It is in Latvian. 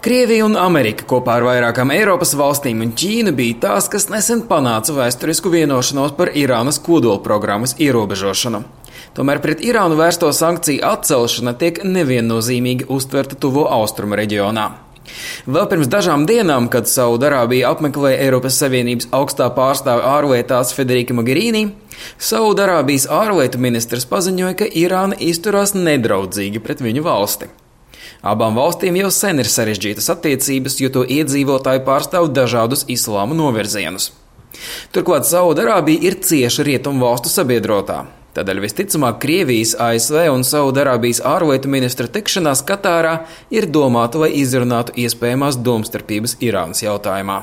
Krievija un Amerika kopā ar vairākām Eiropas valstīm un Ķīnu bija tās, kas nesen panāca vēsturisku vienošanos par Irānas kodolprogrammas ierobežošanu. Tomēr pret Irānu vērsto sankciju atcelšana tiek neviennozīmīgi uztverta Tuvo Austrumu reģionā. Vēl pirms dažām dienām, kad Saudarābija apmeklēja Eiropas Savienības augstā pārstāve ārlietās Federika Mogherini, Saudarābijas ārlietu ministrs paziņoja, ka Irāna izturās nedraudzīgi pret viņu valsti. Abām valstīm jau sen ir sarežģītas attiecības, jo to iedzīvotāji pārstāv dažādus islāma novirzienus. Turklāt Saudarābija ir cieša rietumu valstu sabiedrotā. Tādēļ visticamāk Krievijas, ASV un Saudarābijas ārlietu ministra tikšanās Katārā ir domāta, lai izrunātu iespējamās domstarpības Irānas jautājumā.